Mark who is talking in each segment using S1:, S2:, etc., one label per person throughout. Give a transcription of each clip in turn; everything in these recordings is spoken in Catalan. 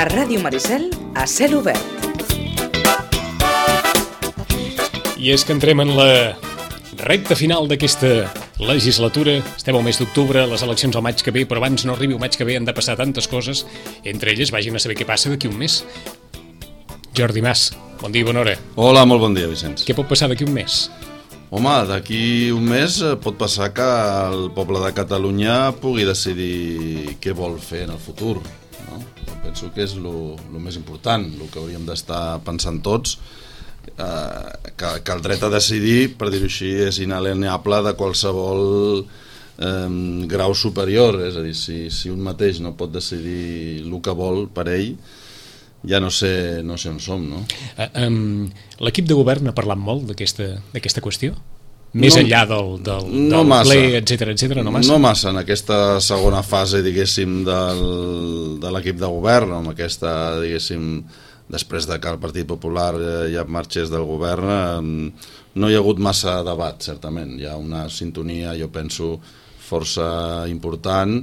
S1: A Ràdio Maricel, a cel obert.
S2: I és que entrem en la recta final d'aquesta legislatura. Estem al mes d'octubre, les eleccions al maig que ve, però abans no arribi el maig que ve han de passar tantes coses, entre elles vagin a saber què passa d'aquí un mes. Jordi Mas, bon dia i bona hora.
S3: Hola, molt bon dia, Vicenç.
S2: Què pot passar d'aquí un mes?
S3: Home, d'aquí un mes pot passar que el poble de Catalunya pugui decidir què vol fer en el futur, no? Jo penso que és el més important, el que hauríem d'estar pensant tots, que el dret a decidir, per dir-ho així, és inalienable de qualsevol grau superior. És a dir, si un mateix no pot decidir el que vol per ell, ja no sé on som, no?
S2: L'equip de govern ha parlat molt d'aquesta qüestió? Més enllà del ple, etcètera, no massa?
S3: No massa, en aquesta segona fase, diguéssim, de l'equip de govern, amb aquesta, diguéssim, després de que el Partit Popular ja marxés del govern, no hi ha hagut massa debat, certament. Hi ha una sintonia, jo penso, força important,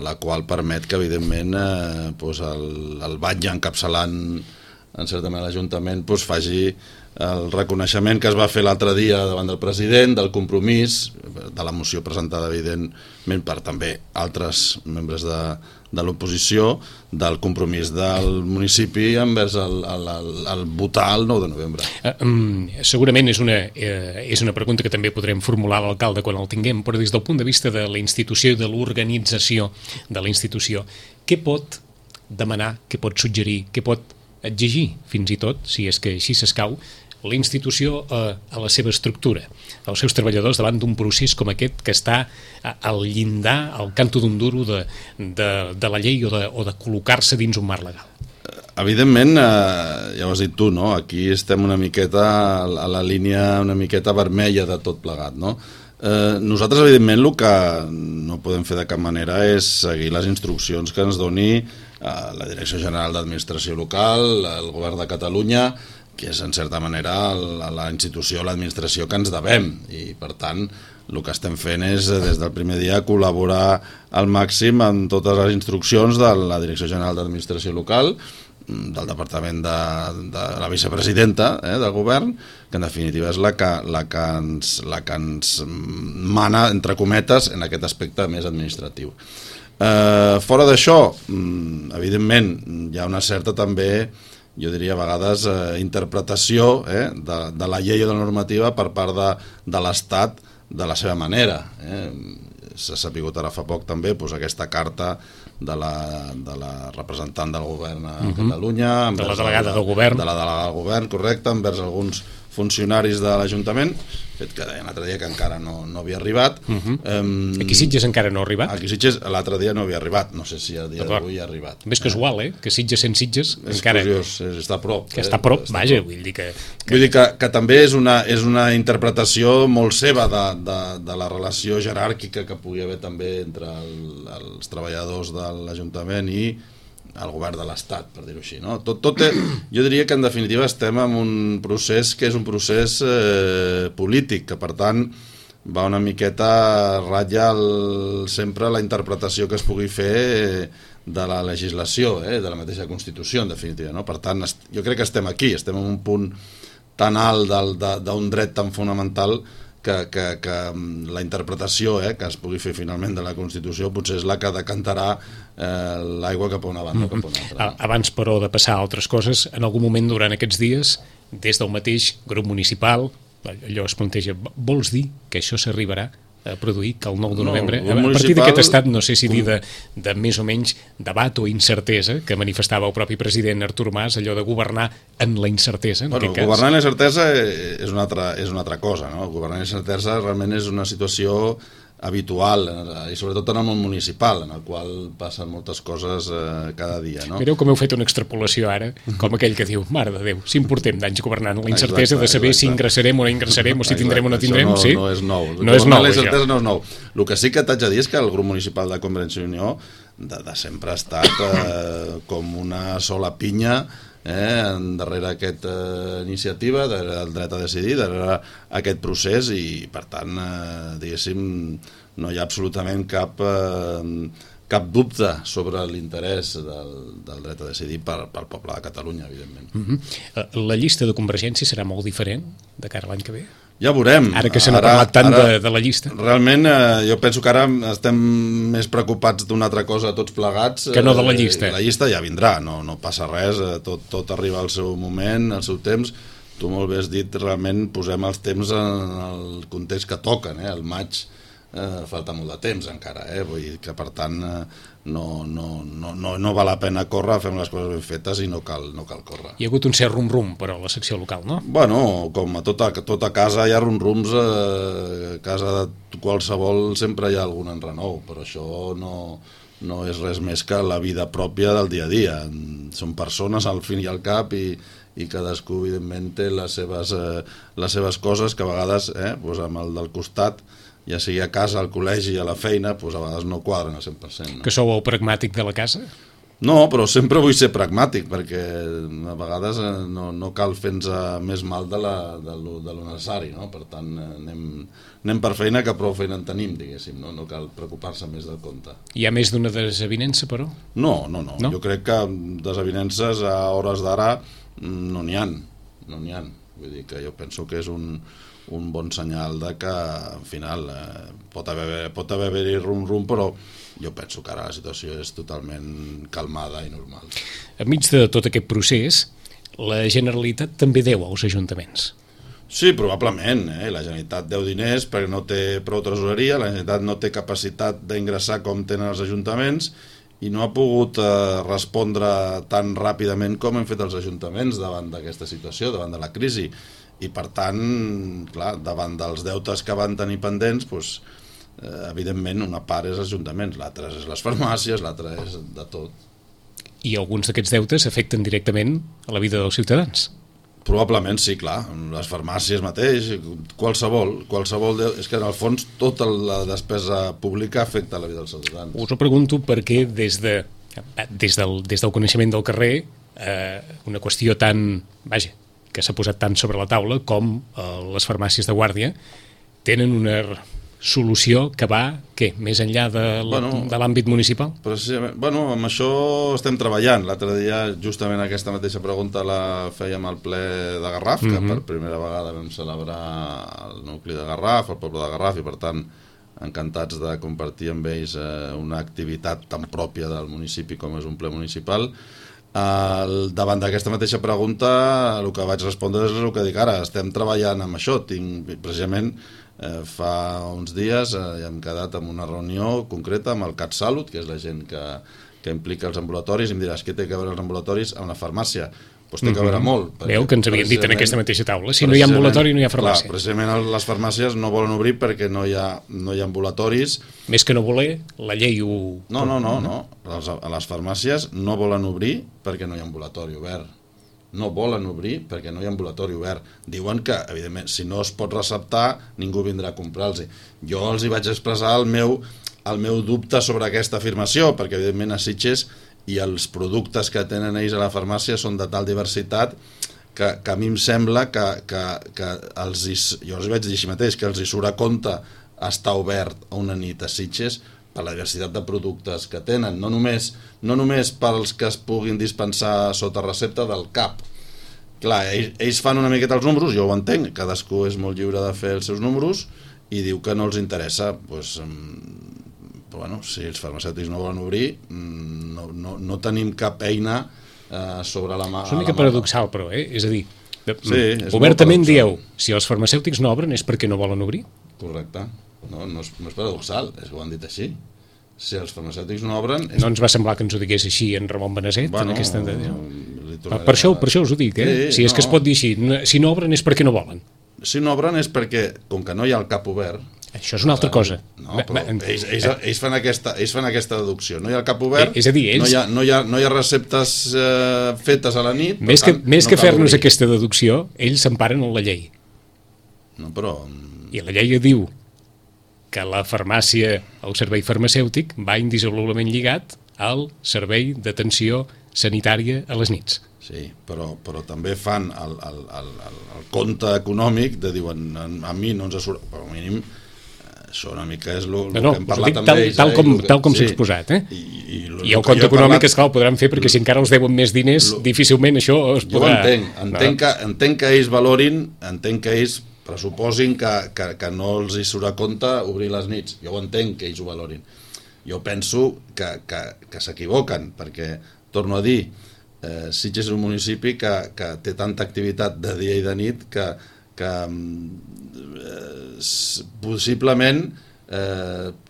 S3: la qual permet que, evidentment, el batlle encapçalant, en certa manera, l'Ajuntament faci el reconeixement que es va fer l'altre dia davant del president, del compromís, de la moció presentada, evidentment, per també altres membres de l'oposició, del compromís del municipi envers el votar el 9 de novembre.
S2: Segurament és una pregunta que també podrem formular a l'alcalde quan el tinguem, però des del punt de vista de la institució i de l'organització de la institució, què pot demanar, què pot suggerir, què pot exigir, fins i tot, si és que així s'escau, la institució a la seva estructura, als seus treballadors davant d'un procés com aquest que està al llindar, al canto d'un duro de la llei o de col·locar-se dins un marc legal?
S3: Evidentment, ja ho has dit tu, no? Aquí estem una miqueta a la línia una miqueta vermella de tot plegat, no? Nosaltres, evidentment, el que no podem fer de cap manera és seguir les instruccions que ens doni la Direcció General d'Administració Local, el Govern de Catalunya, que és en certa manera la institució, l'administració que ens devem, i per tant el que estem fent és des del primer dia col·laborar al màxim amb totes les instruccions de la Direcció General d'Administració Local, del Departament de la Vicepresidenta del Govern, que en definitiva és la que ens mana, entre cometes, en aquest aspecte més administratiu. Fora d'això, evidentment, hi ha una certa també, jo diria a vegades, interpretació de la llei o de la normativa per part de l'Estat de la seva manera. S'ha sapigut ara fa poc també aquesta carta de la representant del govern a Catalunya,
S2: de la delegada del govern,
S3: correcte, envers alguns funcionaris de l'Ajuntament, fet que deien l'altre dia que encara no havia arribat.
S2: Aquí Sitges encara no ha arribat?
S3: Aquí Sitges l'altre dia no havia arribat, no sé si a dia d'avui ha arribat.
S2: Més casual, que Sitges sent Sitges encara...
S3: És curiós, està a prop.
S2: Que està a prop, vaja, vull dir que...
S3: Vull dir que també és una interpretació molt seva de la relació jeràrquica que pugui haver també entre els treballadors de l'Ajuntament i el govern de l'Estat, per dir-ho així, no? Jo diria que en definitiva estem en un procés que és un procés polític, que per tant va una miqueta ratlla sempre la interpretació que es pugui fer de la legislació, de la mateixa Constitució, en definitiva, no? Per tant, jo crec que estem aquí, estem en un punt tan alt d'un dret tan fonamental que la interpretació que es pugui fer finalment de la Constitució potser és la que decantarà l'aigua cap a una banda o cap a una altra.
S2: Abans, però, de passar a altres coses, en algun moment durant aquests dies, des del mateix grup municipal, allò es planteja, vols dir que això s'arribarà a produir, que el 9 de novembre, a partir d'aquest estat, no sé si dir de més o menys debat o incertesa, que manifestava el propi president Artur Mas, allò de governar en la incertesa, en aquest cas.
S3: Governar en la incertesa és una altra cosa, no? Governar en la incertesa realment és una situació habitual, i sobretot en el món municipal, en el qual passen moltes coses cada dia, no?
S2: Mireu com heu fet una extrapolació ara, com aquell que diu, mare de Déu, si em portem d'anys governant la incertesa de saber si ingressarem o no ingressarem, o si tindrem o no tindrem, sí?
S3: No és nou.
S2: No és nou,
S3: la incertesa no és nou. El que sí que t'haig de dir és que el grup municipal de Convergència i Unió de sempre ha estat com una sola pinya darrere aquesta iniciativa, darrere el dret a decidir, darrere aquest procés, i per tant, diguéssim, no hi ha absolutament cap cap dubte sobre l'interès del dret a decidir pel poble de Catalunya, evidentment.
S2: La llista de Convergència serà molt diferent de cara a l'any que ve?
S3: Ja veurem.
S2: Ara que se n'ha parlat tant de la llista.
S3: Realment, jo penso que ara estem més preocupats d'una altra cosa tots plegats.
S2: Que no de la llista.
S3: La llista ja vindrà, no passa res, tot arriba al seu moment, al seu temps. Tu molt bé has dit, realment posem els temps en el context que toquen, el maig falta molt de temps encara, vull dir que per tant no val la pena córrer, fem les coses ben fetes i no cal córrer.
S2: Hi ha hagut un cert rum-rum, però, a la secció local, no?
S3: Bueno, com a tota casa hi ha rum-rums, a casa de qualsevol sempre hi ha algun enrenou, però això no és res més que la vida pròpia del dia a dia. Són persones al fin i al cap i cadascú evidentment té les seves coses que a vegades amb el del costat, ja sigui a casa, al col·legi, a la feina, doncs a vegades no quadren al 100%.
S2: Que sou el pragmàtic de la casa?
S3: No, però sempre vull ser pragmàtic, perquè a vegades no cal fer-nos més mal de lo necessari, no? Per tant, anem per feina, que prou feina en tenim, diguéssim, no cal preocupar-se més del compte.
S2: Hi ha més d'una desavinença, però?
S3: No. Jo crec que desavinences a hores d'ara no n'hi ha. Vull dir que jo penso que és un bon senyal de que al final pot haver-hi rum-rum, però jo penso que ara la situació és totalment calmada i normal.
S2: Enmig de tot aquest procés, la Generalitat també deu als ajuntaments.
S3: Sí, probablement. La Generalitat deu diners perquè no té prou tresoreria, la Generalitat no té capacitat d'ingressar com tenen els ajuntaments i no ha pogut respondre tan ràpidament com hem fet els ajuntaments davant d'aquesta situació, davant de la crisi. I per tant, clar, davant dels deutes que van tenir pendents, doncs, evidentment una part és ajuntaments, l'altra és les farmàcies, l'altra és de tot.
S2: I alguns d'aquests deutes afecten directament a la vida dels ciutadans?
S3: Probablement sí, clar, les farmàcies mateix, qualsevol és que en el fons tota la despesa pública afecta la vida dels ciutadans.
S2: Us ho pregunto perquè des del coneixement del carrer, una qüestió tan, que s'ha posat tant sobre la taula com les farmàcies de guàrdia tenen una solució que va, més enllà de l'àmbit municipal?
S3: Precisament, amb això estem treballant. L'altre dia, justament aquesta mateixa pregunta la fèiem al ple de Garraf, que per primera vegada vam celebrar el nucli de Garraf, el poble de Garraf, i per tant encantats de compartir amb ells una activitat tan pròpia del municipi com és un ple municipal. Davant d'aquesta mateixa pregunta el que vaig respondre és el que dic ara, estem treballant amb això. Precisament fa uns dies hem quedat en una reunió concreta amb el CatSalut, que és la gent que implica els ambulatoris, i em diràs què té a veure els ambulatoris amb la farmàcia? Doncs té a veure molt.
S2: Veu que ens havien dit en aquesta mateixa taula, si no hi ha ambulatori no hi ha farmàcia.
S3: Clar, precisament les farmàcies no volen obrir perquè no hi ha ambulatoris.
S2: Més que no voler, la llei ho...
S3: No. A les farmàcies no volen obrir perquè no hi ha ambulatori obert. No volen obrir perquè no hi ha ambulatori obert. Diuen que, evidentment, si no es pot receptar, ningú vindrà a comprar-los. Jo els hi vaig expressar el meu dubte sobre aquesta afirmació, perquè, evidentment, a Sitges i els productes que tenen ells a la farmàcia són de tal diversitat que a mi em sembla que jo els vaig dir així mateix, que els hi surt a compte estar obert a una nit a Sitges per la diversitat de productes que tenen, no només pels que es puguin dispensar sota recepta del CAP. Clar, ells fan una miqueta els números, jo ho entenc, cadascú és molt lliure de fer els seus números i diu que no els interessa, doncs, si els farmacèutics no volen obrir, no tenim cap eina sobre la mà.
S2: És una mica paradoxal, però, és a dir,
S3: sí,
S2: obertament dieu, si els farmacèutics no obren és perquè no volen obrir?
S3: Correcte. No és paradoxal, és que ho han dit així. Si els farmacèutics no obren...
S2: No ens va semblar que ens ho digués així en Ramon Beneset, en aquesta... Per això us ho dic, si és que es pot dir així, si no obren és perquè no volen.
S3: Si no obren és perquè, com que no hi ha el CAP obert...
S2: Això és una altra cosa.
S3: No, però ells fan aquesta deducció. No hi ha el CAP obert,
S2: és a dir,
S3: no hi ha receptes fetes a la nit...
S2: Més que fer-nos aquesta deducció, ells s'emparen en la llei.
S3: No, però...
S2: I la llei diu que la farmàcia, el servei farmacèutic, va indissolublement lligat al servei d'atenció sanitària a les nits.
S3: Sí, però també fan el compte econòmic de diuen, a mi no ens surt, però al mínim, Això una mica és el
S2: que
S3: hem parlat amb ells.
S2: Tal com s'ha exposat. I el compte econòmic, esclar, el podran fer, perquè si encara els deuen més diners, difícilment això es podrà...
S3: Jo entenc que ells valorin, entenc que ells pressuposin que no els hi surt a compte obrir les nits. Jo ho entenc que ells ho valorin. Jo penso que s'equivoquen, perquè, torno a dir, Sitges és un municipi que té tanta activitat de dia i de nit que possiblement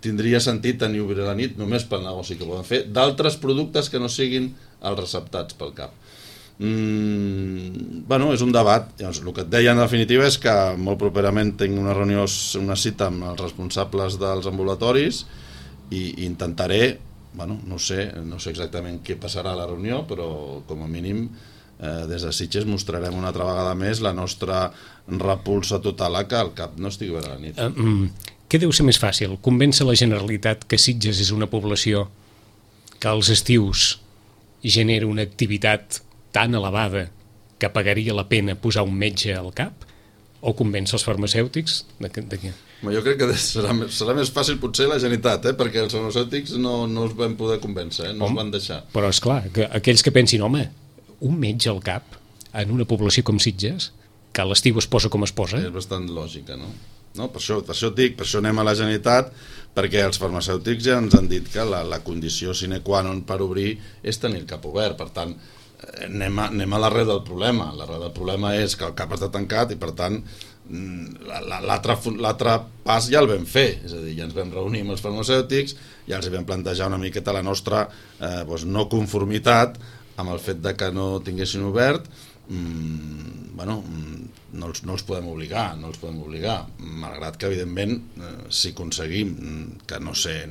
S3: tindria sentit tenir obrir la nit només pel negoci que poden fer d'altres productes que no siguin els receptats pel CAP. És un debat. Llavors, el que et deia en definitiva és que molt properament tinc una reunió, una cita amb els responsables dels ambulatoris i intentaré, no sé exactament què passarà a la reunió, però com a mínim des de Sitges mostrarem una altra vegada més la nostra repulsa total a que el CAP no estigui obert a la nit.
S2: Què deu ser més fàcil? Convèncer la Generalitat que Sitges és una població que als estius genera una activitat tan elevada que pagaria la pena posar un metge al CAP? O convèncer els farmacèutics de què?
S3: Jo crec que serà més fàcil potser la Generalitat, perquè els farmacèutics no els vam poder convèncer, no els van deixar.
S2: Però esclar, que aquells que pensin, home, un metge al CAP en una població com Sitges, que a l'estiu es posa com es posa...
S3: És bastant lògica, no? Per això et dic, per això anem a la Generalitat, perquè els farmacèutics ja ens han dit que la condició sine qua non per obrir és tenir el CAP obert. Per tant, anem a l'arrel del problema. L'arrel del problema és que el CAP està tancat i, per tant, l'altre pas ja el vam fer. És a dir, ja ens vam reunir amb els farmacèutics, ja els vam plantejar una miqueta la nostra no conformitat amb el fet de que no tinguessin obert. No els podem obligar, malgrat que evidentment si aconseguim que no sé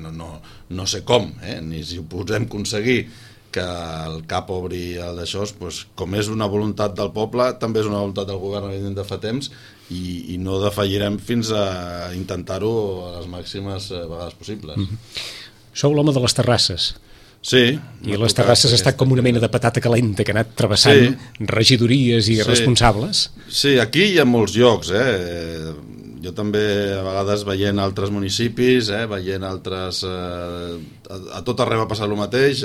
S3: com, ni si ho podem aconseguir que el CAP obri el d'això, com és una voluntat del poble, també és una voluntat del govern evidentment de fa temps, i no defallirem fins a intentar-ho a les màximes vegades possibles.
S2: Sou l'home de les terrasses.
S3: Sí.
S2: I les terrasses ha estat com una mena de patata calenta que ha anat travessant regidories i responsables.
S3: Sí, aquí hi ha molts llocs, Jo també a vegades veient altres municipis, veient altres... A tot arreu ha passat el mateix.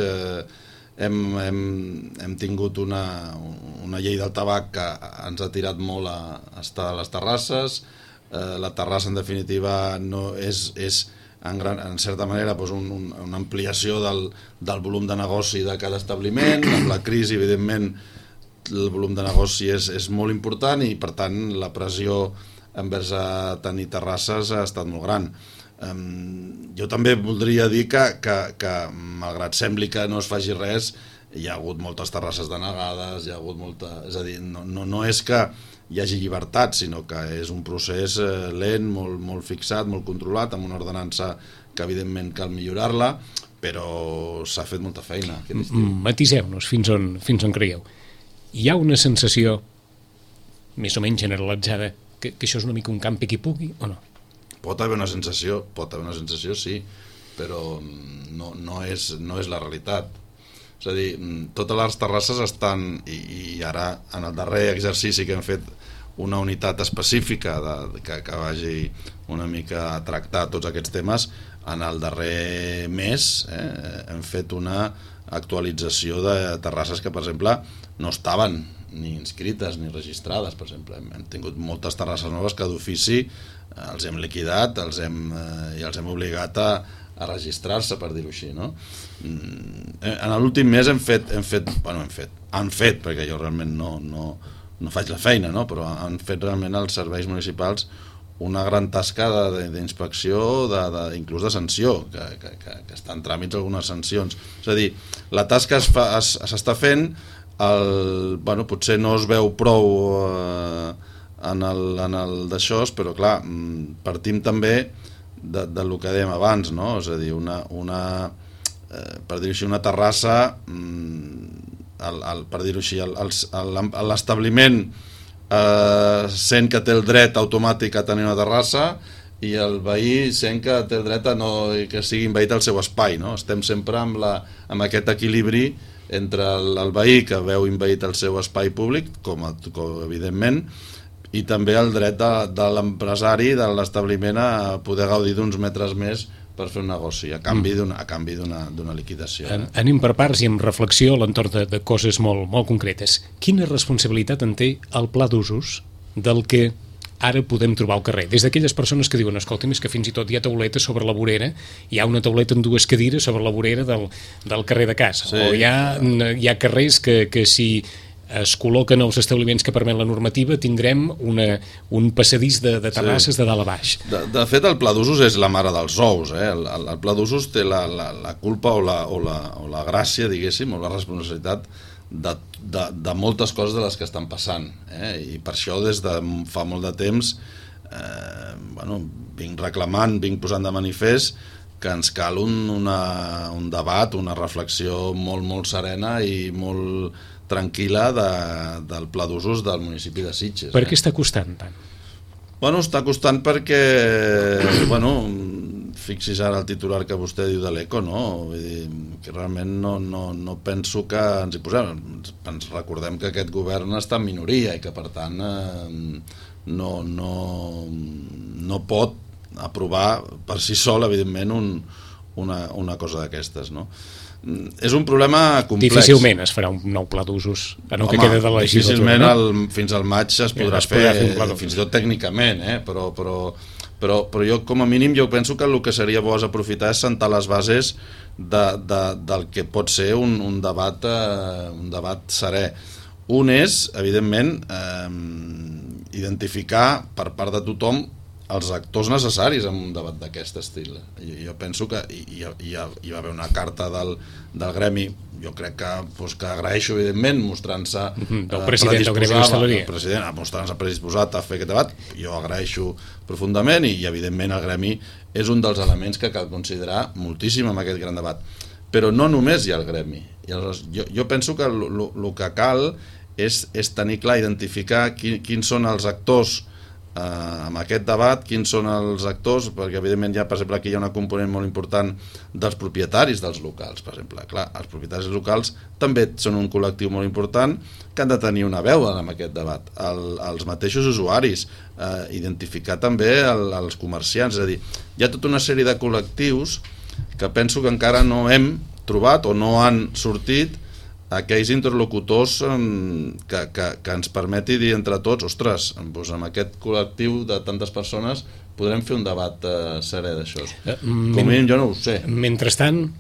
S3: Hem tingut una llei del tabac que ens ha tirat molt a estar a les terrasses. La terrassa, en definitiva, no és en certa manera una ampliació del volum de negoci de cada establiment. Amb la crisi, evidentment, el volum de negoci és molt important i, per tant, la pressió envers a tenir terrasses ha estat molt gran. Jo també voldria dir que malgrat sembli que no es faci res, hi ha hagut moltes terrasses denegades, hi ha hagut molta... És a dir, no és que hi hagi llibertat, sinó que és un procés lent, molt fixat, molt controlat, amb una ordenança que evidentment cal millorar-la, però s'ha fet molta feina.
S2: Matiseu-nos fins on creieu. Hi ha una sensació més o menys generalitzada que això és una mica un campi qui pugui o no?
S3: Pot haver una sensació, sí, però no és la realitat. És a dir, totes les terrasses estan, i ara en el darrer exercici que hem fet una unitat específica que vagi una mica a tractar tots aquests temes, en el darrer mes hem fet una actualització de terrasses que, per exemple, no estaven ni inscrites ni registrades. Per exemple, hem tingut moltes terrasses noves que d'ofici els hem liquidat i els hem obligat a registrar-se, per dir-ho així, no? En l'últim mes han fet, perquè jo realment no faig la feina, no? Però han fet realment els serveis municipals una gran tasca d'inspecció, inclús de sanció, que estan en tràmits algunes sancions. És a dir, la tasca s'està fent, potser no es veu prou en el d'això, però clar, partim també del que dèiem abans, no? És a dir, per dir-ho així, una terrassa, per dir-ho així, l'establiment sent que té el dret automàtic a tenir una terrassa i el veí sent que té el dret que sigui envaït el seu espai, no? Estem sempre amb aquest equilibri entre el veí que veu envaït el seu espai públic, com evidentment, i també el dret de l'empresari, de l'establiment, a poder gaudir d'uns metres més per fer un negoci, a canvi d'una liquidació.
S2: Anem per parts i amb reflexió a l'entorn de coses molt concretes. Quina responsabilitat en té el pla d'usos del que ara podem trobar al carrer? Des d'aquelles persones que diuen, escolta'm, és que fins i tot hi ha tauletes sobre la vorera, hi ha una tauleta amb 2 cadires sobre la vorera del carrer de casa, sí. O hi ha carrers que si es col·loquen els establiments que permet la normativa tindrem un passadís de terrasses, sí, de dalt a baix.
S3: De fet, el pla d'usos és la mare dels ous. El pla d'usos té la culpa o la gràcia, diguéssim, o la responsabilitat de moltes coses de les que estan passant. I per això des de fa molt de temps vinc reclamant, vinc posant de manifest que ens cal un debat, una reflexió molt serena i molt tranquil·la del pla d'usos del municipi de Sitges.
S2: Per què està costant tant?
S3: Està costant perquè, fixis ara el titular que vostè diu de l'ECO, no? Vull dir, que realment no penso que ens hi posem. Ens recordem que aquest govern està en minoria i que, per tant, no pot aprovar per si sol, evidentment, una cosa d'aquestes, no? És un problema complex.
S2: Difícilment es farà un nou pla d'usos en el que queda de la legislatura.
S3: Difícilment fins al maig es podrà fer fins i tot tècnicament, però jo com a mínim jo penso que el que seria bo és aprofitar és sentar les bases del que pot ser un debat serè. Un és, evidentment, identificar per part de tothom els actors necessaris en un debat d'aquest estil. Jo penso que hi va haver una carta del gremi, jo crec que agraeixo, evidentment, mostrant-se
S2: del president del gremi d'hostaleria,
S3: mostrant-se predisposat a fer aquest debat. Jo agraeixo profundament i evidentment el gremi és un dels elements que cal considerar moltíssim en aquest gran debat. Però no només hi ha el gremi. Jo penso que el que cal és tenir clar, identificar quins són els actors amb aquest debat, quins són els actors, perquè evidentment per exemple aquí hi ha una component molt important dels propietaris dels locals, per exemple. Clar, els propietaris locals també són un col·lectiu molt important que han de tenir una veu en aquest debat. Els mateixos usuaris, identificar també els comerciants, és a dir, hi ha tota una sèrie de col·lectius que penso que encara no hem trobat o no han sortit aquells interlocutors que ens permeti dir entre tots, ostres, amb aquest col·lectiu de tantes persones podrem fer un debat serè d'això. Com a mínim jo no ho sé.
S2: Mentrestant,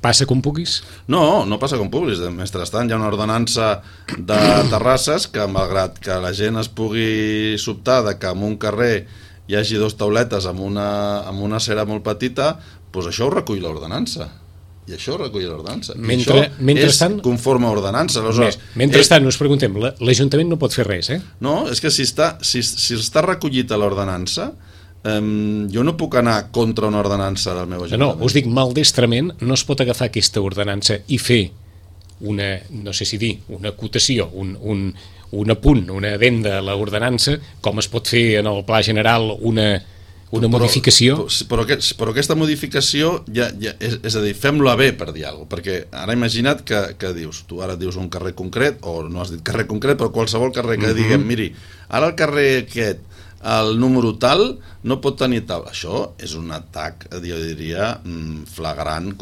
S2: passa com puguis?
S3: No passa com puguis. Mentrestant hi ha una ordenança de terrasses que, malgrat que la gent es pugui sobtar de que en un carrer hi hagi 2 tauletes amb una cera molt petita, doncs això ho recull l'ordenança. I això ho recull l'ordenança.
S2: Mentrestant,
S3: és conforme a ordenança.
S2: Mentrestant, us preguntem, l'Ajuntament no pot fer res, eh?
S3: No, és que si està recollit a l'ordenança, jo no puc anar contra una ordenança del meu Ajuntament.
S2: No, us dic maldestrament, no es pot agafar aquesta ordenança i fer una, no sé si dir, una acotació, un apunt, una addenda a l'ordenança, com es pot fer en el Pla General una modificació.
S3: Però aquesta modificació és a dir, fem-la bé, per dir alguna cosa, perquè ara imagina't que dius, tu ara dius un carrer concret, o no has dit carrer concret, però qualsevol carrer que diguem, miri, ara el carrer aquest, el número tal, no pot tenir tal. Això és un atac, jo diria, flagrant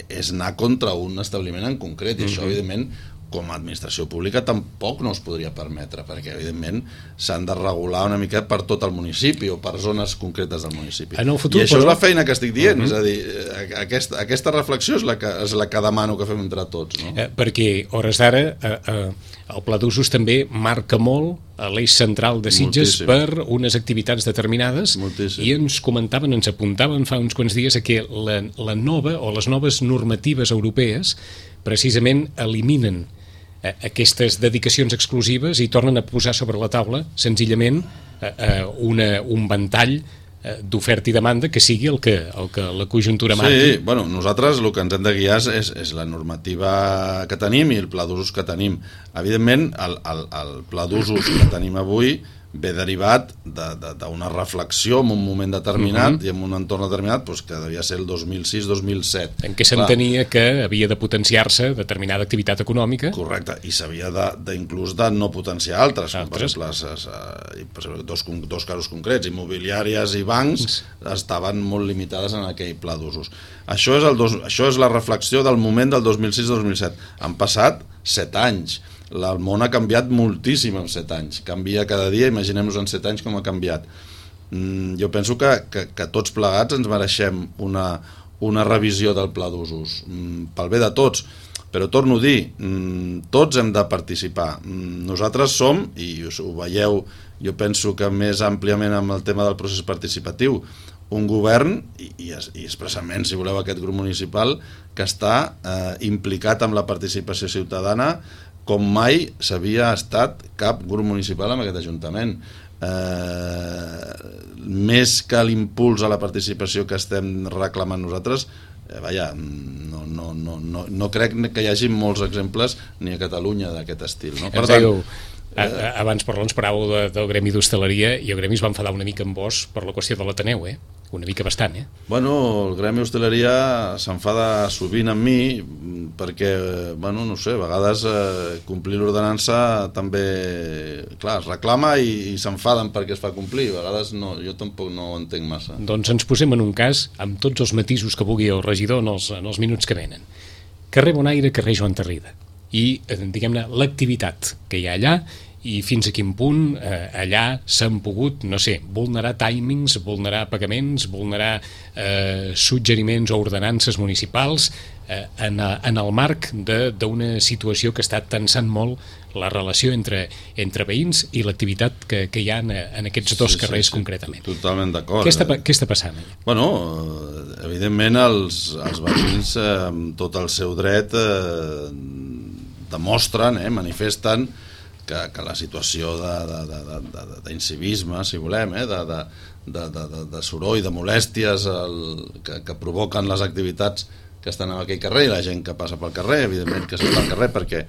S3: és anar contra un establiment en concret, i això, evidentment, com a administració pública tampoc no es podria permetre, perquè evidentment s'han de regular una mica per tot el municipi o per zones concretes del municipi.
S2: En el futur,
S3: i això és la feina que estic dient, és a dir, aquesta reflexió és la que demano que fem entre tots, no?
S2: Perquè, hores d'ara, el Pla d'Usos també marca molt l'eix central de Sitges per unes activitats determinades. I ens comentaven, ens apuntaven fa uns quants dies que la nova o les noves normatives europees precisament eliminen aquestes dedicacions exclusives i tornen a posar sobre la taula senzillament un ventall d'oferta i demanda que sigui el que la conjuntura marqui.
S3: Sí, bueno, nosaltres el que ens hem de guiar és la normativa que tenim i el pla d'usos que tenim. Evidentment, el pla d'usos que tenim avui ve derivat d'una reflexió en un moment determinat i en un entorn determinat que devia ser el 2006-2007.
S2: En què s'entenia que havia de potenciar-se determinada activitat econòmica.
S3: Correcte, i s'havia inclús de no potenciar altres. Com per exemple, dos casos concrets, immobiliàries i bancs estaven molt limitades en aquell pla d'usos. Això és la reflexió del moment del 2006-2007. Han passat 7 anys. El món ha canviat moltíssim en 7 anys. Canvia cada dia, imaginem-nos en 7 anys com ha canviat. Jo penso que tots plegats ens mereixem una revisió del pla d'usos, pel bé de tots. Però torno a dir, tots hem de participar. Nosaltres som, i ho veieu, jo penso que més àmpliament amb el tema del procés participatiu, un govern, i expressament, si voleu, aquest grup municipal, que està implicat amb la participació ciutadana com mai s'havia estat cap grup municipal en aquest Ajuntament. Més que l'impuls a la participació que estem reclamant nosaltres, no crec que hi hagi molts exemples ni a Catalunya d'aquest estil. Per tant,
S2: abans ens paràveu del gremi d'hostaleria i el gremi es va enfadar una mica amb vos per la qüestió de l'Ateneu, una mica bastant.
S3: Bueno, el gremi d'hostaleria s'enfada sovint amb mi perquè, no sé, a vegades complir l'ordenança també, clar, es reclama i s'enfaden perquè es fa complir, a vegades no, jo tampoc no ho entenc massa.
S2: Doncs ens posem en un cas amb tots els matisos que vulgui el regidor en els minuts que venen. Carrer Bonaire, carrer Joan Tarrida. I, diguem-ne, l'activitat que hi ha allà i fins a quin punt allà s'han pogut, no sé, vulnerar timings, vulnerar pagaments, vulnerar suggeriments o ordenances municipals en el marc d'una situació que està tensant molt la relació entre veïns i l'activitat que hi ha en aquests dos carrers concretament.
S3: Totalment d'acord.
S2: Què està passant allà?
S3: Bueno, evidentment els veïns amb tot el seu dret demostren, manifesten que la situació d'incivisme, si volem, de soroll, de molèsties que provoquen les activitats que estan en aquell carrer i la gent que passa pel carrer, evidentment que surt al carrer, perquè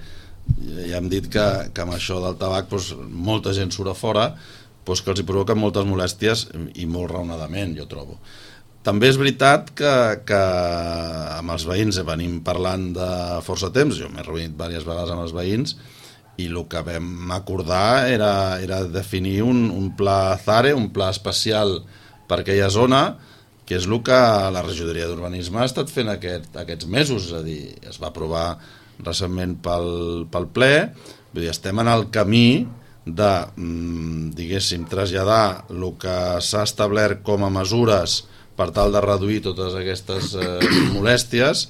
S3: ja hem dit que amb això del tabac molta gent surt a fora, que els hi provoquen moltes molèsties i molt raonadament, jo trobo. També és veritat que amb els veïns venim parlant de força temps, jo m'he reunit diverses vegades amb els veïns i el que vam acordar era definir un pla ZARE, un pla especial per aquella zona, que és el que la regidoria d'urbanisme ha estat fent aquests mesos, és a dir, es va aprovar recentment pel ple, vull dir, estem en el camí de, diguéssim, traslladar el que s'ha establert com a mesures per tal de reduir totes aquestes molèsties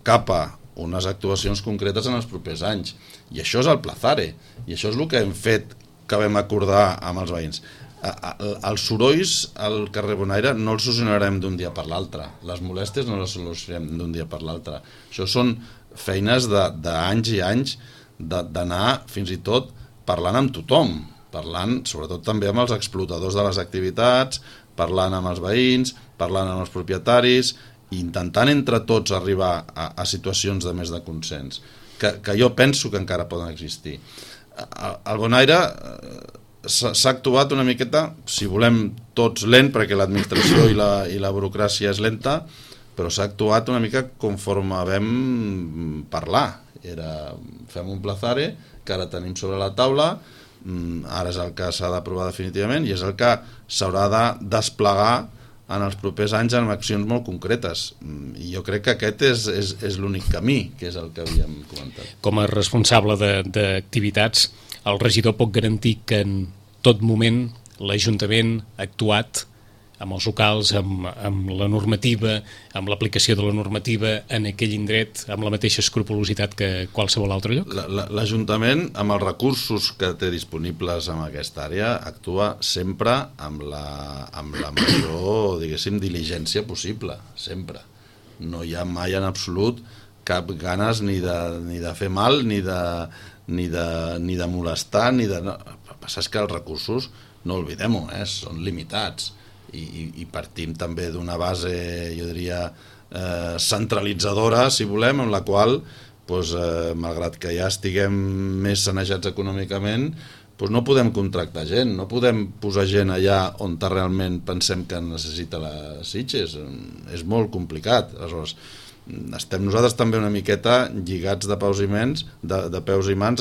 S3: cap a unes actuacions concretes en els propers anys. I això és el Pla ZARE, i això és el que hem fet, que vam acordar amb els veïns. Els sorolls al carrer Bonaire no els solucionarem d'un dia per l'altre, les molèsties no les solucionarem d'un dia per l'altre. Això són feines d'anys i anys d'anar fins i tot parlant amb tothom, parlant sobretot també amb els explotadors de les activitats, parlant amb els veïns, parlant amb els propietaris, i intentant entre tots arribar a situacions de més de consens, que jo penso que encara poden existir. Al Bonaire s'ha actuat una miqueta, si volem tots lent, perquè l'administració i la burocràcia és lenta, però s'ha actuat una mica conforme vam parlar. Fem un Pla ZARE que ara tenim sobre la taula, ara és el que s'ha d'aprovar definitivament i és el que s'haurà de desplegar en els propers anys amb accions molt concretes. I jo crec que aquest és l'únic camí, que és el que havíem comentat.
S2: Com a responsable d'activitats, el regidor pot garantir que en tot moment l'Ajuntament ha actuat amb els locals, amb la normativa, amb l'aplicació de la normativa en aquell indret, amb la mateixa escrupolositat que qualsevol altre lloc?
S3: L'Ajuntament, amb els recursos que té disponibles en aquesta àrea, actua sempre amb la major, diguéssim, diligència possible, sempre. No hi ha mai en absolut cap ganes ni de fer mal, ni de molestar, El que passa és que els recursos, no oblidem-ho, són limitats. I partim també d'una base, jo diria, centralitzadora, si volem, en la qual, malgrat que ja estiguem més sanejats econòmicament, doncs no podem contractar gent, no podem posar gent allà on realment pensem que necessita les Sitges. És molt complicat. Aleshores, estem nosaltres també una miqueta lligats de peus i mans,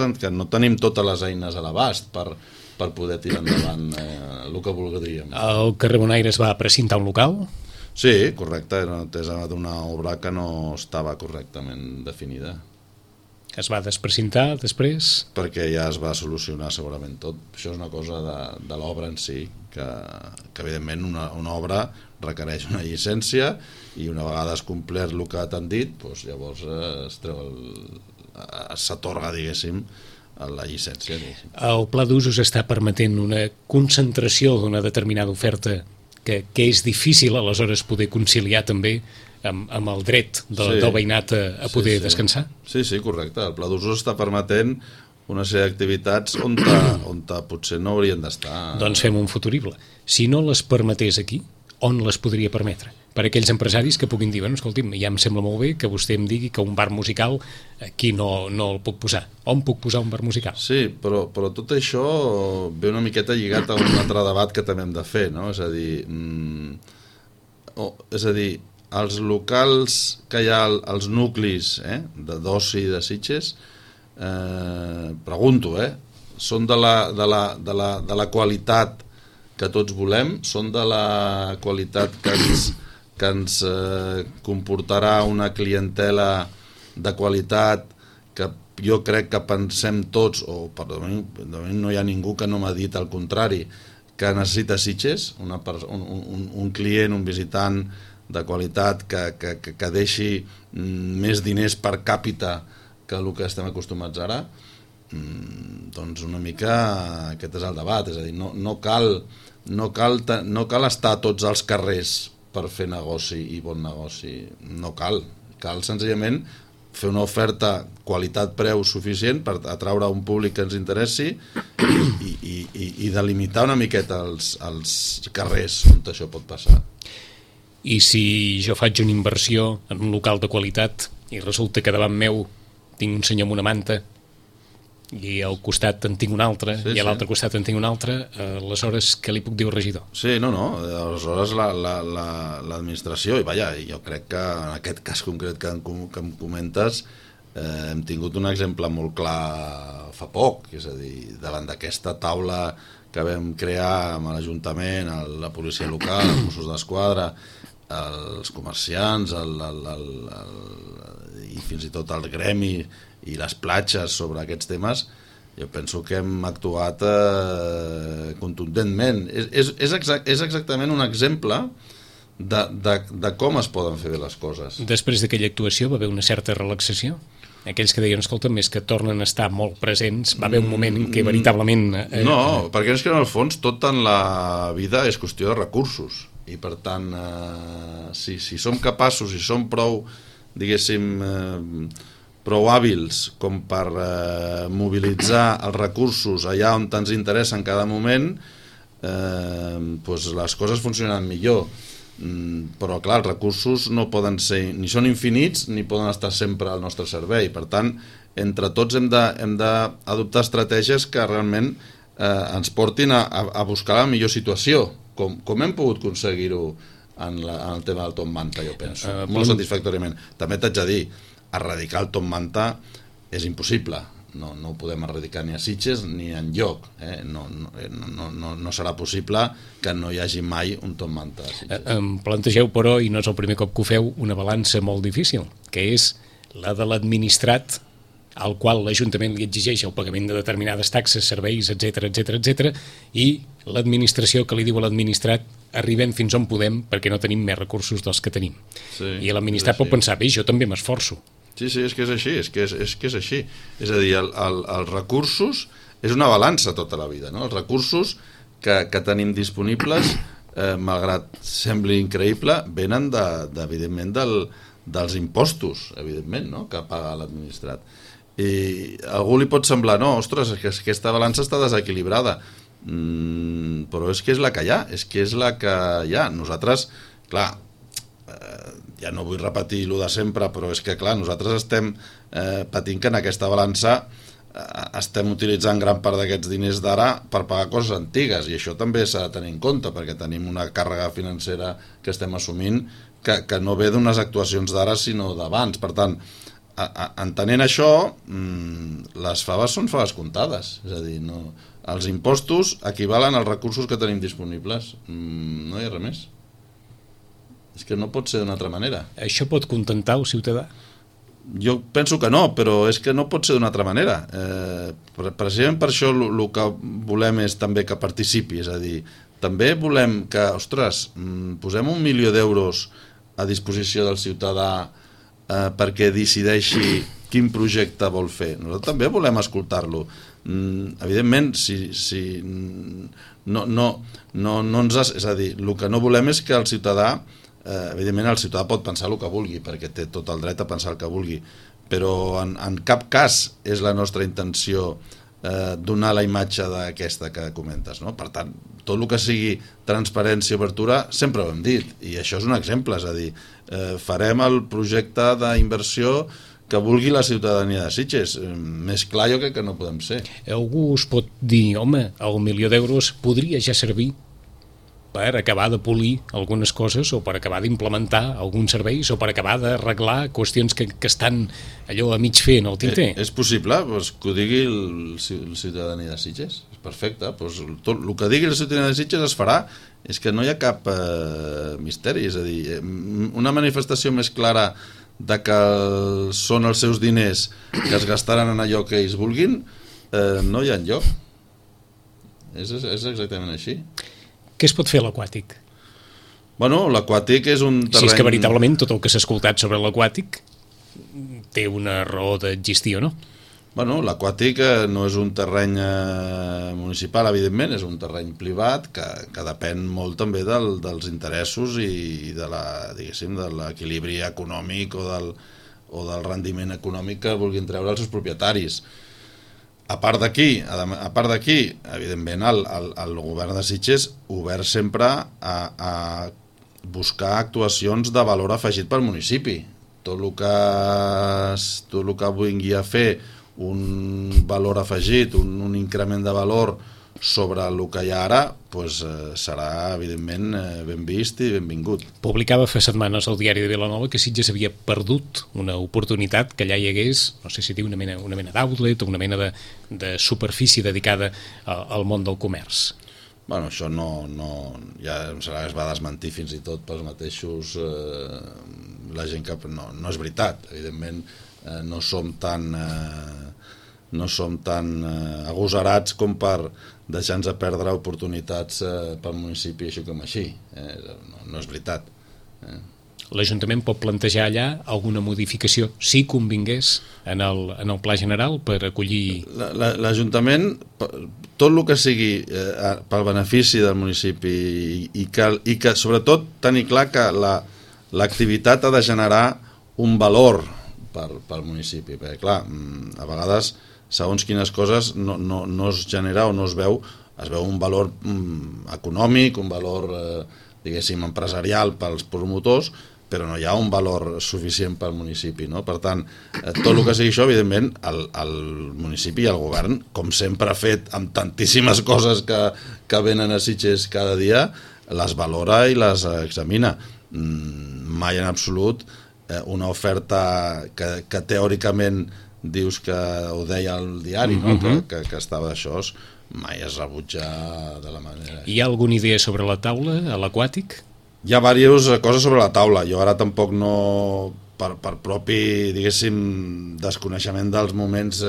S3: en que no tenim totes les eines a l'abast per poder tirar endavant el que voldríem.
S2: El carrer Bonaire es va precintar un local?
S3: Sí, correcte, és d'una obra que no estava correctament definida.
S2: Es va desprecintar després?
S3: Perquè ja es va solucionar segurament tot. Això és una cosa de l'obra en si, que evidentment una obra requereix una llicència i una vegada es complert el que t'han dit, doncs llavors s'atorga, diguéssim, la llicència.
S2: El pla d'usos està permetent una concentració d'una determinada oferta que és difícil aleshores poder conciliar també amb el dret del veïnat a poder descansar?
S3: Sí, correcte. El pla d'usos està permetent una sèrie d'activitats on potser no haurien d'estar.
S2: Doncs fem un futurible. Si no les permetés aquí, on les podria permetre? Per aquells empresaris que puguin dir, bueno, escolti'm, ja em sembla molt bé que vostè em digui que un bar musical aquí no el puc posar. On puc posar un bar musical?
S3: Sí, però tot això ve una miqueta lligat a un altre debat que també hem de fer, no? És a dir, els locals que hi ha, els nuclis d'oci de Sitges, pregunto, són de la qualitat que tots volem, són de la qualitat que ens comportarà una clientela de qualitat que jo crec que pensem tots, o de moment no hi ha ningú que no m'ha dit el contrari, que necessita Sitges, un client, un visitant de qualitat que deixi més diners per càpita que el que estem acostumats ara. Doncs una mica aquest és el debat, és a dir, no cal estar a tots els carrers per fer negoci i bon negoci, no cal senzillament fer una oferta qualitat-preu suficient per atraure un públic que ens interessi i delimitar una miqueta els carrers on això pot passar.
S2: I si jo faig una inversió en un local de qualitat i resulta que davant meu tinc un senyor amb una manta i al costat en tinc un altre, i a l'altre costat en tinc un altre, aleshores què li puc dir al regidor?
S3: Sí, aleshores l'administració, i jo crec que en aquest cas concret que em comentes hem tingut un exemple molt clar fa poc, és a dir, davant d'aquesta taula que vam crear amb l'Ajuntament, la policia local, els Mossos d'Esquadra, els comerciants i fins i tot el gremi i les platges sobre aquests temes, jo penso que hem actuat contundentment. És exactament un exemple de com es poden fer bé les coses.
S2: Després d'aquella actuació va haver una certa relaxació? Aquells que deien, escolta'm, és que tornen a estar molt presents, va haver un moment en què veritablement...
S3: No, perquè és que en el fons tot en la vida és qüestió de recursos, i per tant, si som capaços, si som prou, diguéssim, prou hàbils com per mobilitzar els recursos allà on ens interessa en cada moment, doncs les coses funcionen millor. Però clar, els recursos no poden ser, ni són infinits ni poden estar sempre al nostre servei. Per tant, entre tots hem d'adoptar estratègies que realment ens portin a buscar la millor situació, com hem pogut aconseguir-ho en el tema del Top Manta, jo penso, molt satisfactòriament. També t'haig de dir, erradicar el Top Manta és impossible, no ho podem erradicar ni a Sitges ni enlloc, no serà possible que no hi hagi mai un Top Manta a Sitges.
S2: Em plantegeu, però, i no és el primer cop que ho feu, una balança molt difícil, que és la de l'administrat, al qual l'Ajuntament li exigeix el pagament de determinades taxes, serveis, etc, i l'administració que li diu a l'administrat arribem fins on podem perquè no tenim més recursos dels que tenim. I l'administrat pot pensar, bé, jo també m'esforço.
S3: Sí, és que és així, és que és així. És a dir, els recursos és una balança tota la vida, no? Els recursos que tenim disponibles, malgrat sembli increïble, venen evidentment dels impostos, evidentment, no? Que paga l'administrat. I a algú li pot semblar, no, ostres, és que aquesta balança està desequilibrada, però és que és la que hi ha, Nosaltres, clar, ja no vull repetir lo de sempre, però és que clar, nosaltres estem patint que en aquesta balança estem utilitzant gran part d'aquests diners d'ara per pagar coses antigues, i això també s'ha de tenir en compte, perquè tenim una càrrega financera que estem assumint que no ve d'unes actuacions d'ara sinó d'abans. Per tant, entenent això, les faves són faves comptades, és a dir, no, els impostos equivalen als recursos que tenim disponibles, no hi ha res més. És que no pot ser d'una altra manera.
S2: Això pot contentar el ciutadà?
S3: Jo penso que no, però és que no pot ser d'una altra manera. Precisament per això el que volem és també que participi, és a dir, també volem que, ostres, posem 1 milió d'euros a disposició del ciutadà perquè decideixi quin projecte vol fer. Nosaltres també volem escoltar-lo. Evidentment, és a dir, el que no volem és que el ciutadà, evidentment el ciutadà pot pensar el que vulgui, perquè té tot el dret a pensar el que vulgui, però en cap cas és la nostra intenció donar la imatge d'aquesta que comentes, no? Per tant, tot el que sigui transparència i obertura sempre ho hem dit, i això és un exemple, és a dir, farem el projecte d'inversió que vulgui la ciutadania de Sitges. Més clar jo crec que no podem ser.
S2: Algú us pot dir, home, el 1 milió d'euros podria ja servir per acabar de polir algunes coses o per acabar d'implementar alguns serveis o per acabar d'arreglar qüestions que estan allò a mig fer en el tinter.
S3: És possible, doncs, que ho digui el ciutadania de Sitges, és perfecte, doncs, tot el que digui el ciutadania de Sitges es farà, és que no hi ha cap misteri, és a dir, una manifestació més clara de que són els seus diners que es gastaran en allò que ells vulguin, no hi ha enlloc. És exactament així.
S2: Què es pot fer a l'aquàtic?
S3: Bueno, l'aquàtic és un terreny...
S2: Si és que veritablement tot el que s'ha escoltat sobre l'aquàtic té una raó d'existir o no?
S3: Bueno, l'aquàtic no és un terreny municipal, evidentment, és un terreny privat que depèn molt també dels interessos i de l'equilibri econòmic o del rendiment econòmic que vulguin treure els seus propietaris. A part d'aquí, evidentment, el govern de Sitges obert sempre a buscar actuacions de valor afegit pel municipi. Tot el que vingui a fer un valor afegit, un increment de valor sobre el que hi ha ara, doncs serà, evidentment, ben vist i benvingut.
S2: Publicava fa setmanes al diari de Vilanova que Sitges havia perdut una oportunitat que allà hi hagués, no sé si dir una mena d'outlet o una mena de superfície dedicada al món del comerç.
S3: Bueno, això no ja em sembla que es va desmentir fins i tot pels mateixos la gent que no és veritat, evidentment no som tan agosarats com per deixar-nos perdre oportunitats pel municipi així com així. No és veritat.
S2: L'Ajuntament pot plantejar allà alguna modificació, si convingués, en el pla general per acollir...
S3: L'Ajuntament, tot el que sigui pel benefici del municipi i que sobretot tenir clar que l'activitat ha de generar un valor pel municipi, perquè clar, a vegades segons quines coses no es genera o no es veu un valor econòmic, un valor diguéssim empresarial pels promotors, però no hi ha un valor suficient pel municipi, no? Per tant, tot el que sigui això, evidentment, el municipi i el govern, com sempre ha fet amb tantíssimes coses que venen a Sitges cada dia, les valora i les examina. Mai en absolut una oferta que teòricament dius que ho deia al diari, no? que estava això, mai es rebutja de la manera.
S2: Hi ha alguna idea sobre la taula a l'aquàtic?
S3: Hi ha diverses coses sobre la taula. Jo ara tampoc no, per propi, diguéssim, desconeixement dels moments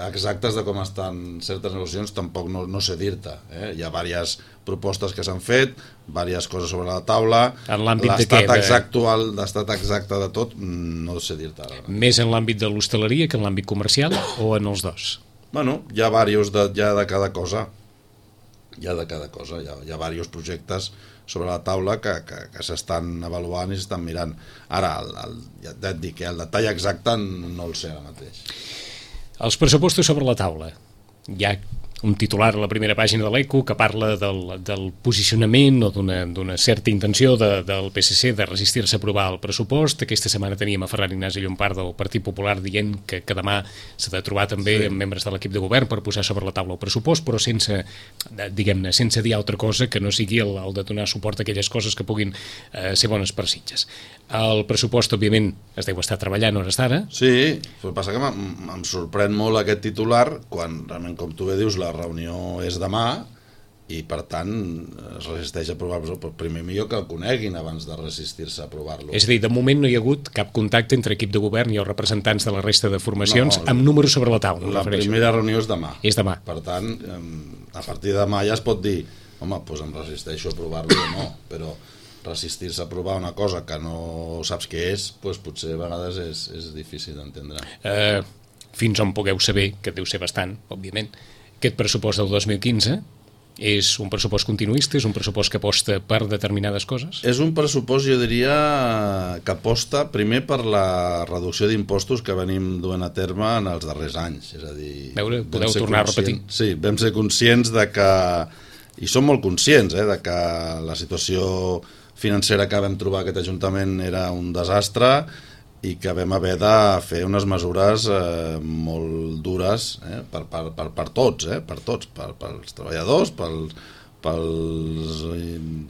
S3: exactes de com estan certes negociacions, tampoc no sé dir-te. Hi ha diverses propostes que s'han fet, diverses coses sobre la taula.
S2: En l'àmbit de què?
S3: L'estat exacte de tot, no sé dir-te ara.
S2: Més en l'àmbit de l'hostaleria que en l'àmbit comercial o en els dos?
S3: Bueno, hi ha diversos de cada cosa. Hi ha diversos projectes sobre la taula que s'estan avaluant i s'estan mirant. Ara, ja et dic, el detall exacte no el sé ara mateix.
S2: Els pressupostos sobre la taula. Hi ha un titular a la primera pàgina de l'Eco que parla del posicionament o d'una certa intenció del PSC de resistir-se a aprovar el pressupost. Aquesta setmana teníem a Ferran Ignasi Llompart del Partit Popular dient que demà s'ha de trobar també amb membres de l'equip de govern per posar sobre la taula el pressupost, però sense, diguem-ne, sense dir altra cosa que no sigui el de donar suport a aquelles coses que puguin ser bones per Sitges. El pressupost, òbviament, es deu estar treballant a hores d'ara.
S3: Sí, però passa que em sorprèn molt aquest titular quan realment, com tu bé dius, la reunió és demà i per tant es resisteix a aprovar-lo, però primer millor que el coneguin abans de resistir-se a aprovar-lo.
S2: És a dir, de moment no hi ha hagut cap contacte entre equip de govern i els representants de la resta de formacions amb números sobre la taula.
S3: La primera reunió és demà.
S2: És demà.
S3: Per tant, a partir de demà ja es pot dir home, doncs em resisteixo a aprovar-lo o no, però resistir-se a aprovar una cosa que no saps què és, doncs potser a vegades és difícil d'entendre.
S2: Fins on pugueu saber, que deu ser bastant, òbviament, aquest pressupost del 2015 és un pressupost continuista, és un pressupost que aposta per determinades coses?
S3: És un pressupost, jo diria, que aposta primer per la reducció d'impostos que venim duent a terme en els darrers anys. És a dir,
S2: podeu tornar a repetir?
S3: Sí, vam ser conscients de que, i som molt conscients, de que la situació financera que vam trobar aquest Ajuntament era un desastre i que vam haver de fer unes mesures molt dures per tots, pels treballadors, pels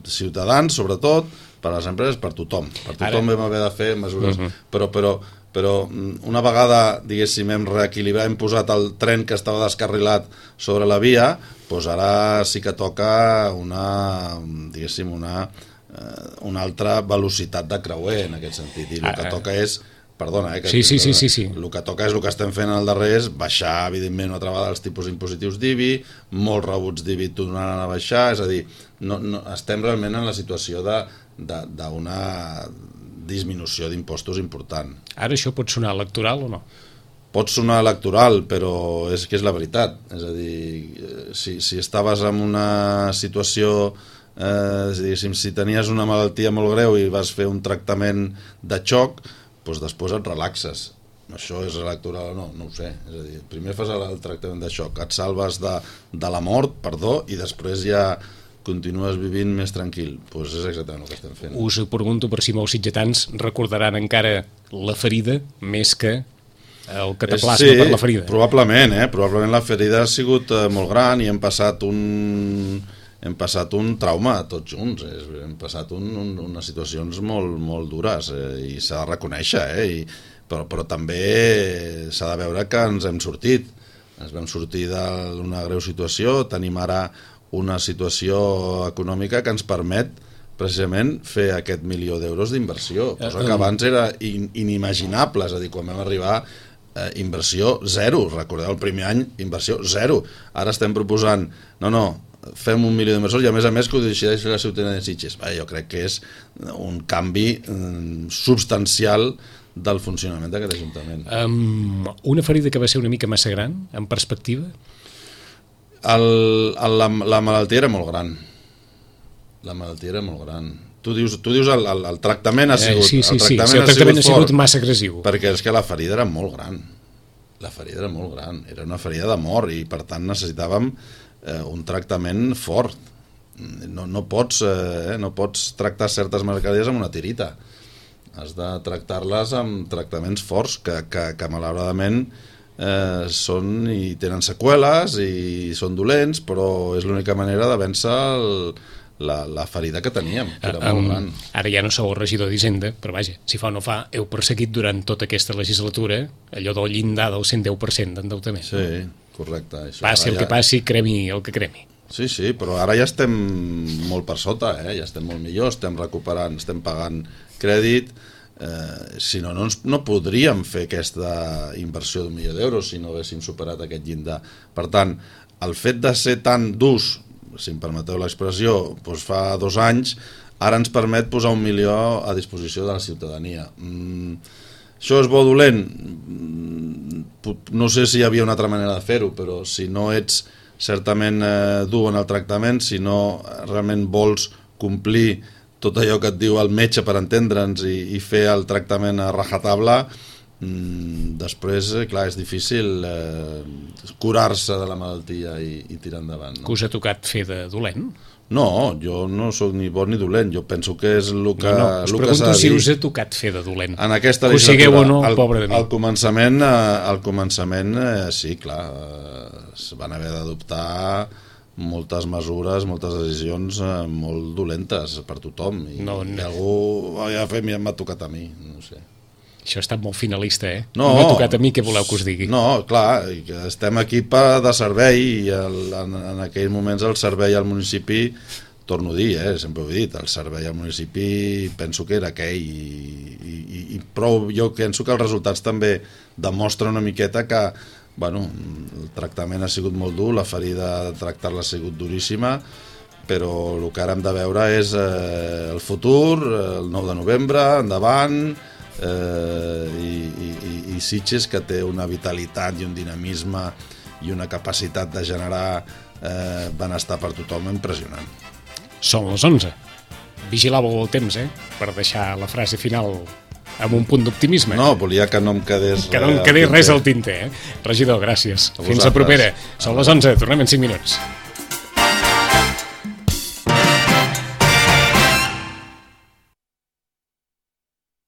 S3: ciutadans, sobretot, per les empreses, per tothom. Per tothom vam haver de fer mesures, però una vegada, diguéssim, hem reequilibrat, hem posat el tren que estava descarrilat sobre la via, doncs ara sí que toca una altra velocitat de creuer en aquest sentit, i el que toca és perdona,
S2: sí.
S3: El que toca és el que estem fent al darrer és baixar, evidentment, una altra vegada els tipus impositius d'IBI, molts rebuts d'IBI tornaran a baixar, és a dir, no, estem realment en la situació d'una disminució d'impostos important.
S2: Ara això pot sonar electoral o no?
S3: Pot sonar electoral, però és que és la veritat. És a dir, si estaves en una situació, diguéssim, si tenies una malaltia molt greu i vas fer un tractament de xoc, doncs després et relaxes. Això és electoral o no? No ho sé. És a dir, primer fas el tractament de xoc, et salves de la mort, i després ja continues vivint més tranquil. Doncs és exactament el que estem fent.
S2: Us pregunto per si molts sitgetans recordaran encara la ferida més que el cataplasma per la ferida.
S3: Probablement, probablement la ferida ha sigut molt gran i hem passat un trauma tots junts, hem passat unes situacions molt dures i s'ha de reconèixer, però també s'ha de veure que ens hem sortit. Ens vam sortir d'una greu situació, tenim ara una situació econòmica que ens permet precisament fer aquest 1 milió d'euros d'inversió, cosa que abans era inimaginable, és a dir, quan vam arribar inversió zero, recordeu el primer any inversió zero, ara estem proposant fem 1 milió d'inversors i a més que ho decideix la ciutadania de Sitges. Jo crec que és un canvi substancial del funcionament d'aquest Ajuntament.
S2: Una ferida que va ser una mica massa gran, en perspectiva?
S3: La malaltia era molt gran. Tu dius el tractament ha sigut
S2: el tractament ha sigut massa agressiu,
S3: perquè és que la ferida era molt gran, era una ferida de mort i per tant necessitàvem un tractament fort. No pots tractar certes mercaderies amb una tirita, has de tractar-les amb tractaments forts que malauradament són i tenen seqüeles i són dolents, però és l'única manera de vèncer la ferida que teníem, que era molt gran.
S2: Ara ja no sou el regidor d'Hisenda, però vaja, si fa o no fa, heu perseguit durant tota aquesta legislatura allò del llindar del 110% d'endeutament.
S3: Sí, correcte.
S2: Passi el que passi, cremi el que cremi.
S3: Sí, però ara ja estem molt per sota, ja estem molt millor, estem recuperant, estem pagant crèdit, si no podríem fer aquesta inversió d'1 milió d'euros si no haguéssim superat aquest llindar. Per tant, el fet de ser tan durs, si em permeteu l'expressió, doncs fa 2 anys, ara ens permet posar 1 milió a disposició de la ciutadania. Això és bo o dolent? No sé si hi havia una altra manera de fer-ho, però si no ets certament dur en el tractament, si no realment vols complir tot allò que et diu el metge per entendre'ns i fer el tractament a rajatabla, Després, clar, és difícil curar-se de la malaltia i tirar endavant, no?
S2: Que us ha tocat fer de dolent?
S3: No, jo no sóc ni bo ni dolent, jo penso que és el que
S2: us pregunto si us ha tocat fer de dolent.
S3: En aquesta
S2: que ho sigueu o no,
S3: al
S2: pobre de mi.
S3: Al començament sí, clar, es van haver d'adoptar moltes mesures, moltes decisions molt dolentes per tothom, i algú m'ha tocat a mi, no sé.
S2: Això ha estat molt finalista,
S3: No,
S2: m'ha tocat a mi, què voleu que us digui?
S3: No, clar, estem aquí de servei, i en aquells moments el servei al municipi, torno a dir, sempre ho he dit, el servei al municipi penso que era aquell, i prou, jo penso que els resultats també demostren una miqueta que, bueno, el tractament ha sigut molt dur, la ferida de tractar-la ha sigut duríssima, però el que ara hem de veure és el futur, el 9 de novembre, endavant, i Sitges, que té una vitalitat i un dinamisme i una capacitat de generar benestar per tothom impressionant.
S2: Són les 11. Vigilàveu el temps, per deixar la frase final amb un punt d'optimisme.
S3: No, volia que no em quedés
S2: res al tinter. Regidor, gràcies. Fins la propera. Són les 11, tornem en 5 minuts.